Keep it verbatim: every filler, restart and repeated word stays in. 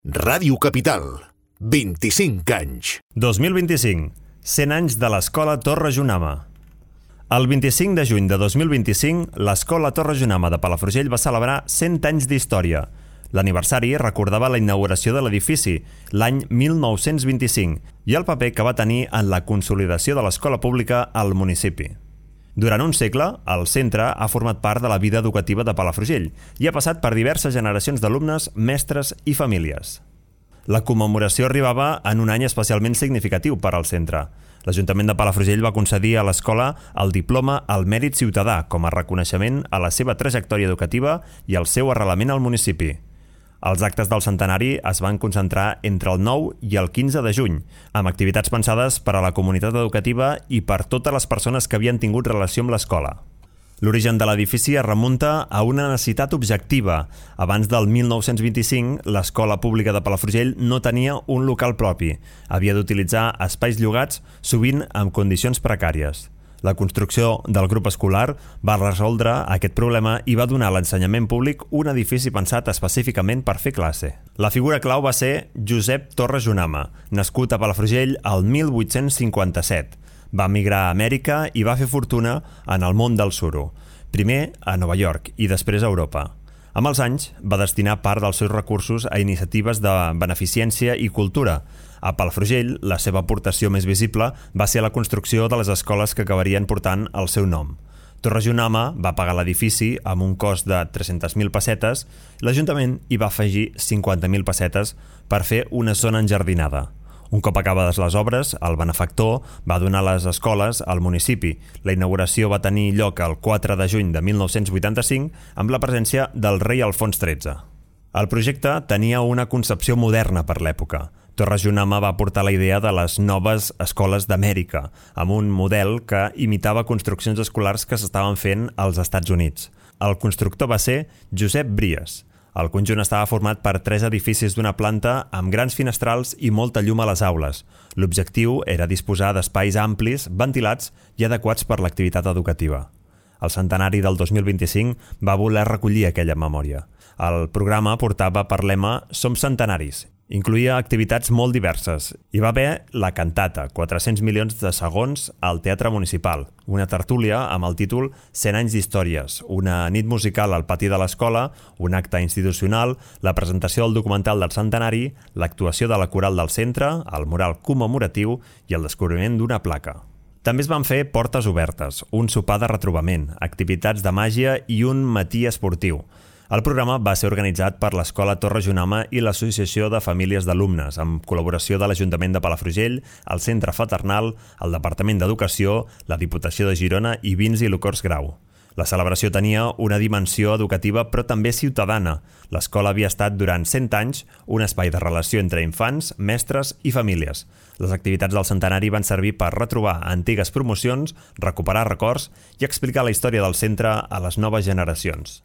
Ràdio Capital, vint-i-cinc anys. dos mil vint-i-cinc, cent anys de l'Escola Torre Junama. El vint-i-cinc de juny de dos mil vint-i-cinc, l'Escola Torre Junama de Palafrugell va celebrar cent anys d'història. L'aniversari recordava la inauguració de l'edifici, l'any mil nou-cents vint-i-cinc, i el paper que va tenir en la consolidació de l'escola pública al municipi. Durant un segle, el centre ha format part de la vida educativa de Palafrugell i ha passat per diverses generacions d'alumnes, mestres i famílies. La commemoració arribava en un any especialment significatiu per al centre. L'Ajuntament de Palafrugell va concedir a l'escola el diploma al Mèrit Ciutadà com a reconeixement a la seva trajectòria educativa i al seu arrelament al municipi. Els actes del centenari es van concentrar entre el nou i el quinze de juny, amb activitats pensades per a la comunitat educativa i per totes les persones que havien tingut relació amb l'escola. L'origen de l'edifici es remunta a una necessitat objectiva. Abans del mil nou-cents vint-i-cinc, l'escola pública de Palafrugell no tenia un local propi. Havia d'utilitzar espais llogats, sovint amb condicions precàries. La construcció del grup escolar va resoldre aquest problema i va donar a l'ensenyament públic un edifici pensat específicament per fer classe. La figura clau va ser Josep Torre Junama, nascut a Palafrugell el mil vuit-cents cinquanta-set. Va emigrar a Amèrica i va fer fortuna en el món del suro, primer a Nova York i després a Europa. Amb els anys, va destinar part dels seus recursos a iniciatives de beneficència i cultura. A Palafrugell, la seva aportació més visible va ser la construcció de les escoles que acabarien portant el seu nom. Torre Junama va pagar l'edifici amb un cost de tres-centes mil pessetes i l'Ajuntament hi va afegir cinquanta mil pessetes per fer una zona enjardinada. Un cop acabades les obres, el benefactor va donar les escoles al municipi. La inauguració va tenir lloc el quatre de juny de mil nou-cents vuitanta-cinc amb la presència del rei Alfons tretze. El projecte tenia una concepció moderna per l'època. Torre Junama va portar la idea de les noves escoles d'Amèrica, amb un model que imitava construccions escolars que s'estaven fent als Estats Units. El constructor va ser Josep Bries. El conjunt estava format per tres edificis d'una planta amb grans finestrals i molta llum a les aules. L'objectiu era disposar d'espais amplis, ventilats i adequats per l'activitat educativa. El centenari del dos mil vint-i-cinc va voler recollir aquella memòria. El programa portava per lema Som centenaris. Incluïa activitats molt diverses. Hi va haver la cantata, quatre-cents milions de segons al Teatre Municipal, una tertúlia amb el títol cent anys d'històries, una nit musical al pati de l'escola, un acte institucional, la presentació del documental del centenari, l'actuació de la coral del centre, el mural commemoratiu i el descobriment d'una placa. També es van fer portes obertes, un sopar de retrobament, activitats de màgia i un matí esportiu. El programa va ser organitzat per l'Escola Torre Junama i l'Associació de Famílies d'Alumnes, amb col·laboració de l'Ajuntament de Palafrugell, el Centre Fraternal, el Departament d'Educació, la Diputació de Girona i Vins i Licors Grau. La celebració tenia una dimensió educativa però també ciutadana. L'escola havia estat durant cent anys un espai de relació entre infants, mestres i famílies. Les activitats del centenari van servir per retrobar antigues promocions, recuperar records i explicar la història del centre a les noves generacions.